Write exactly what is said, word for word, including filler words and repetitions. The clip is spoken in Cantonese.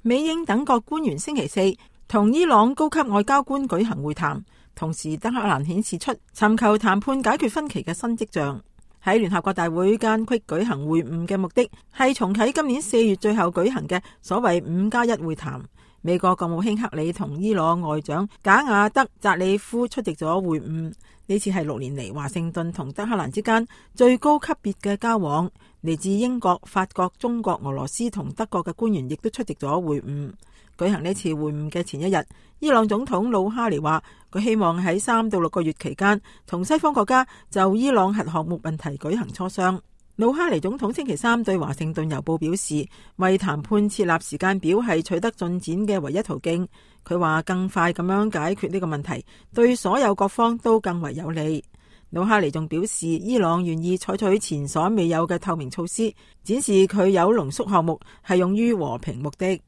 美英等國官員星期四同伊朗高級外交官舉行會談，同時德黑蘭顯示出尋求談判解決分歧嘅新跡象。喺聯合國大會間隙舉行會晤嘅目的係重啟今年四月最後舉行嘅所謂五加一會談。美國國務卿克里同伊朗外長賈亞德扎里夫出席咗會晤，呢次係六年嚟華盛頓同德黑蘭之間最高級別嘅交往。嚟自英國、法國、中國、俄羅斯同德國嘅官員亦都出席咗會晤。舉行呢次會晤嘅前一日，伊朗總統魯哈尼話佢希望喺三到六個月期間同西方國家就伊朗核項目問題舉行磋商。魯哈尼總統星期三對華盛頓郵報表示，為談判設立時間表係取得進展嘅唯一途徑。佢話更快咁樣解決呢個問題，對所有各方都更為有利。魯哈尼仲表示，伊朗願意採取前所未有嘅透明措施，展示佢鈾濃縮項目係用於和平目的。